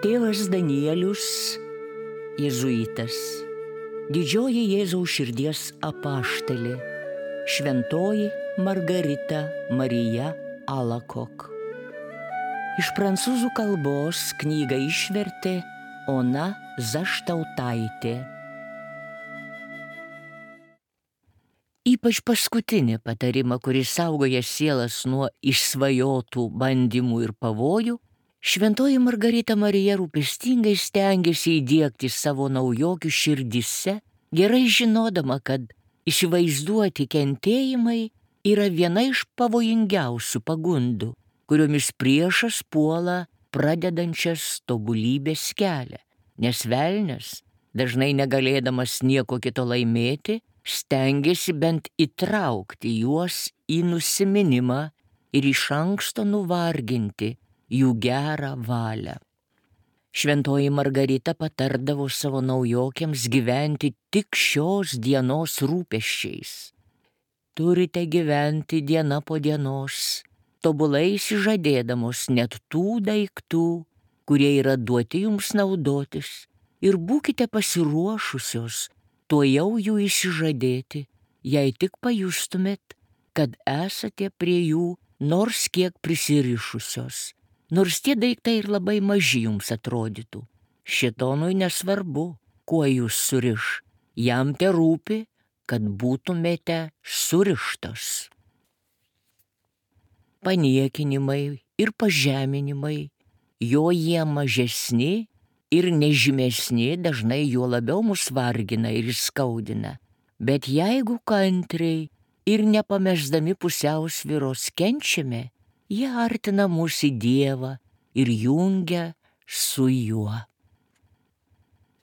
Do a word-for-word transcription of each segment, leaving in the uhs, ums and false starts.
Tėvas Danielius, jėzuitas, didžioji Jėzaus širdies apaštalė, šventoji Margarita Marija Alakok. Iš prancūzų kalbos knygą išvertė Ona Zaštautaitė. Ypač paskutinį patarimą, kuris saugoja sielas nuo išsvajotų bandymų ir pavojų, šventoji Margarita Marija rūpestingai stengiasi įdiegti savo naujokių širdyse, gerai žinodama, kad įsivaizduoti kentėjimai yra viena iš pavojingiausių pagundų, kuriomis priešas puola pradedančias tobulybės kelią, nes velnias, dažnai negalėdamas nieko kito laimėti, stengiasi bent įtraukti juos į nusiminimą ir iš anksto nuvarginti jų gerą valią. Šventoji Margarita patardavo savo naujokiams gyventi tik šios dienos rūpesčiais. Turite gyventi diena po dienos, tobulai išsižadėdamos net tų daiktų, kurie yra duoti jums naudotis, ir būkite pasiruošusios tuojau jų išsižadėti, jei tik pajustumėt, kad esate prie jų nors kiek prisirišusios. Nors tie daiktai ir labai maži jums atrodytų. Šėtonui nesvarbu, kuo jūs suriš. Jam te rūpi, kad būtumėte surištos. Paniekinimai ir pažeminimai, jo jie mažesni ir nežymesni, dažnai juo labiau mus vargina ir skaudina. Bet jeigu kantriai ir nepamesdami pusiausvyros kenčiame, jie artina mus į Dievą ir jungia su juo.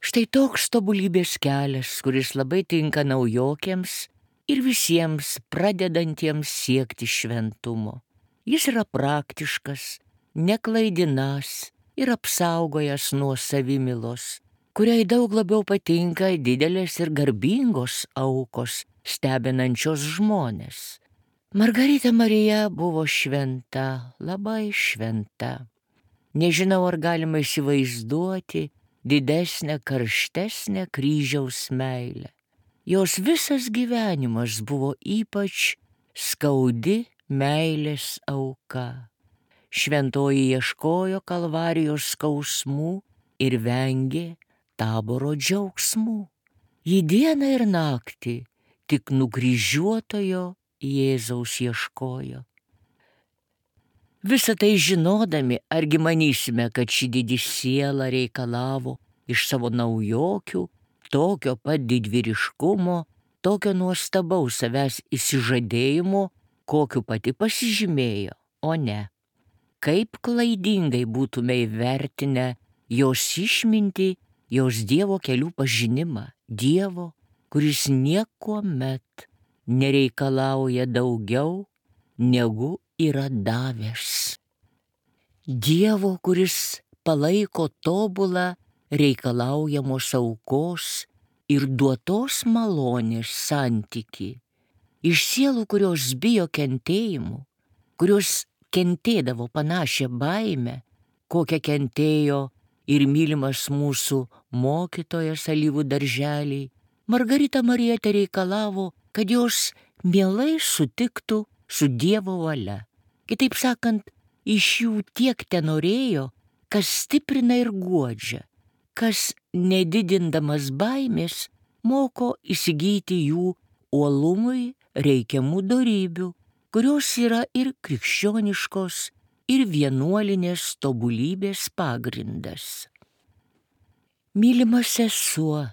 Štai toks tobulybės kelias, kuris labai tinka naujokiams ir visiems pradedantiems siekti šventumo. Jis yra praktiškas, neklaidinas ir apsaugojas nuo savimilos, kuriai daug labiau patinka didelės ir garbingos aukos, stebinančios žmones. Margarita Marija buvo šventa, labai šventa. Nežinau, ar galima įsivaizduoti didesnę, karštesnę kryžiaus meilę. Jos visas gyvenimas buvo ypač skaudi meilės auka. Šventoji ieškojo kalvarijos skausmų ir vengė Taboro džiaugsmų. Ji dieną ir naktį tik nukryžiuotojo Jėzaus ieškojo. Visą tai žinodami, argi manysime, kad ši didi siela reikalavo iš savo naujokių tokio pat didvyriškumo, tokio nuostabaus savęs įsižadėjimo, kokiu pati pasižymėjo, o ne. Kaip klaidingai būtume įvertinę jos išmintį, jos Dievo kelių pažinimą, Dievo, kuris niekuomet nereikalauja daugiau, negu yra davęs. Dievo, kuris palaiko tobulą reikalaujamos aukos ir duotos malonės santykį. Iš sielų, kurios bijo kentėjimų, kurios kentėdavo panašią baimę, kokią kentėjo ir mylimas mūsų mokytojas alyvų darželiai, Margarita Marija reikalavo, kad jos mielai sutiktų su Dievo valia. Kitaip sakant, iš jų tiek tenorėjo, kas stiprina ir guodžia, kas nedidindamas baimės moko įsigyti jų uolumui reikiamų dorybių, kurios yra ir krikščioniškos, ir vienuolinės tobulybės pagrindas. Mylima sesuo,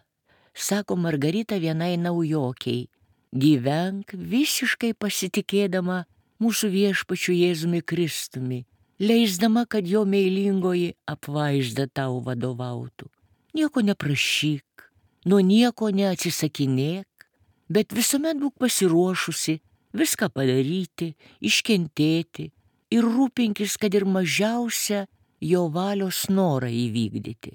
sako Margarita vienai naujokiai, gyvenk visiškai pasitikėdama mūsų viešpačiu Jėzumi Kristumi, leisdama, kad jo meilingoji apvaizda tau vadovautų. Nieko neprašyk, nuo nieko neatsisakinėk, bet visuomet būk pasiruošusi viską padaryti, iškentėti ir rūpinkis, kad ir mažiausią jo valios norą įvykdyti.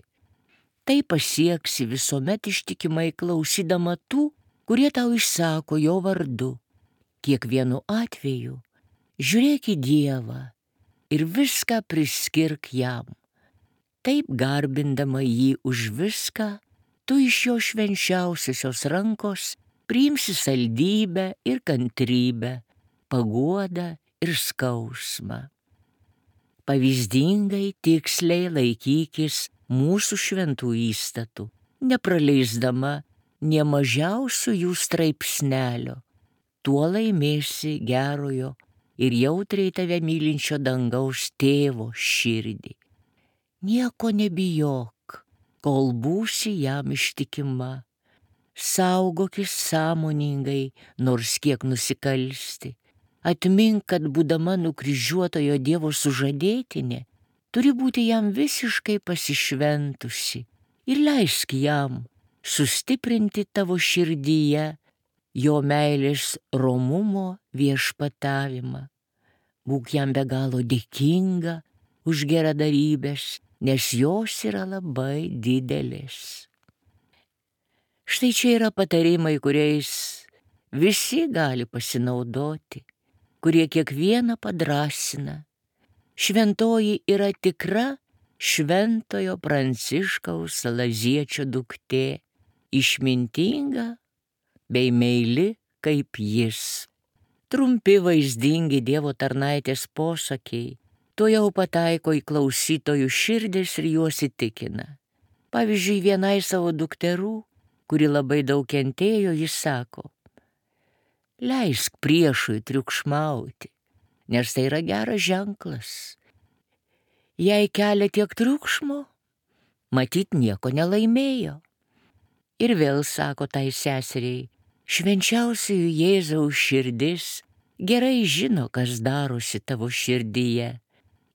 Tai pasieksi visuomet ištikimai klausydama tų, kurie tau išsako jo vardu. Kiekvienu atveju žiūrėk į Dievą ir viską priskirk jam. Taip garbindama jį už viską, tu iš jo švenčiausiosios rankos priimsi saldybę ir kantrybę, paguodą ir skausmą. Pavyzdingai tiksliai laikykis mūsų šventų įstatų, nepraleisdama nė mažiausių jų straipsnelio. Tuo laimėsi gerojo ir jautriai tave mylinčio dangaus tėvo širdį. Nieko nebijok, kol būsi jam ištikima. Saugokis sąmoningai, nors kiek nusikalsti. Atmink, kad būdama nukryžiuotojo Dievo sužadėtinė, turi būti jam visiškai pasišventusi ir leisk jam sustiprinti tavo širdyje jo meilės romumo viešpatavimą. Būk jam be galo dėkinga už geradarybės, nes jos yra labai didelės. Štai čia yra patarimai, kuriais visi gali pasinaudoti, kurie kiekvieną padrasina. Šventoji yra tikra šventojo Pranciškaus Salaziečio duktė, išmintinga bei meili kaip jis. Trumpi vaizdingi Dievo tarnaitės posakiai tuojau pataiko į klausytojų širdis ir juos įtikina. Pavyzdžiui, vienai savo dukterų, kuri labai daug kentėjo, jis sako: leisk priešui triukšmauti, nes tai yra geras ženklas. Jei kelia tiek triukšmo, matyt nieko nelaimėjo. Ir vėl sako tai seseriai: švenčiausiųjų Jėzaus širdis gerai žino, kas darosi tavo širdyje.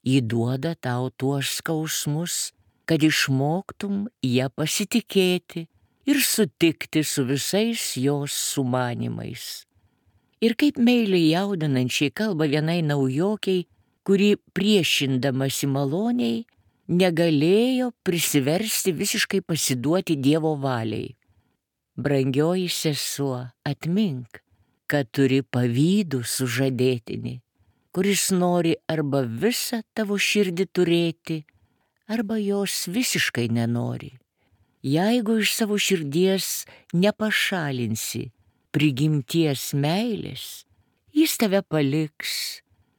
Ji duoda tau tuos skausmus, kad išmoktum ją pasitikėti ir sutikti su visais jos sumanimais. Ir kaip meiliai jaudinančiai kalba vienai naujokiai, kuri priešindamasi maloniai negalėjo prisiversti visiškai pasiduoti Dievo valiai. Brangioji sesuo, atmink, kad turi pavydų sužadėtinį, kuris nori arba visą tavo širdį turėti, arba jos visiškai nenori. Jeigu iš savo širdies nepašalinsi prigimties meilės, jis tave paliks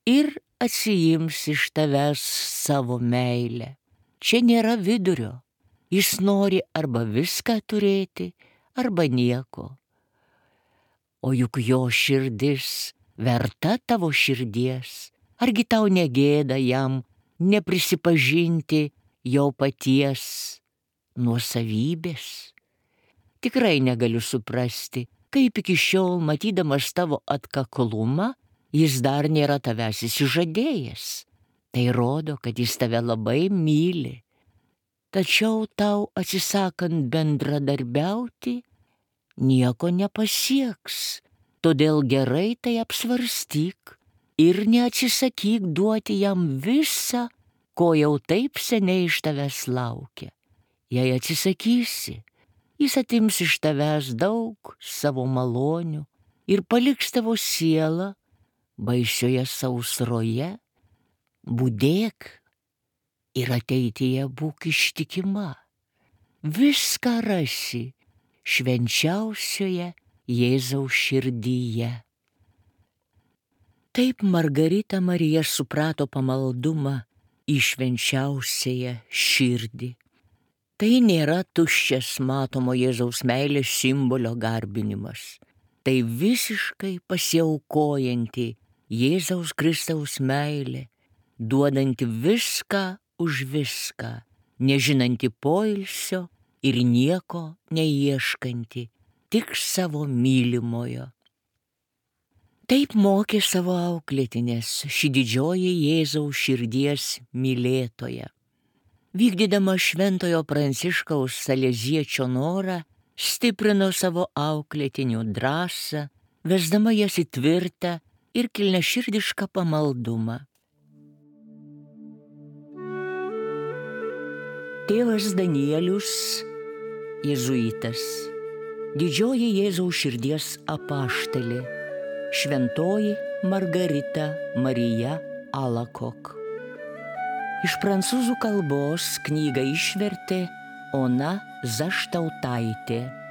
ir atsiims iš tavęs savo meilę. Čia nėra vidurio. Jis nori arba viską turėti, arba nieko. O juk jo širdis verta tavo širdies. Argi tau negėda jam neprisipažinti jo paties nuosavybės? Tikrai negaliu suprasti, kaip iki šiol, matydamas tavo atkaklumą, jis dar nėra tavęs įsižadėjęs. Tai rodo, kad jis tave labai myli. Tačiau tau atsisakant bendradarbiauti, nieko nepasieks. Todėl gerai tai apsvarstyk ir neatsisakyk duoti jam visą, ko jau taip seniai iš tavęs laukia. Jei atsisakysi, jis atims iš tavęs daug savo malonių ir paliks tavo sielą baisioje sausroje. Budėk ir ateityje būk ištikima. Viską rasi švenčiausioje Jėzaus širdyje. Taip Margarita Marija suprato pamaldumą į švenčiausiąją širdį. Tai nėra tuščias matomo Jėzaus meilės simbolio garbinimas. Tai visiškai pasiaukojanti Jėzaus Kristaus meilė, duodanti viską už viską, nežinanti poilsio ir nieko neieškanti, tik savo mylimojo. Taip mokė savo auklėtinės ši didžioji Jėzaus širdies mylėtoja. Vykdydama šventojo Pranciškaus Saleziečio norą, stiprino savo auklėtinių drąsą, vesdama jas į tvirtą ir kilniaširdišką pamaldumą. Tėvas Danielius, jėzuitas, didžioji Jėzaus širdies apaštalė, šventoji Margarita Marija Alakok. Iš prancūzų kalbos knygą išvertė Ona Zaštautaitė.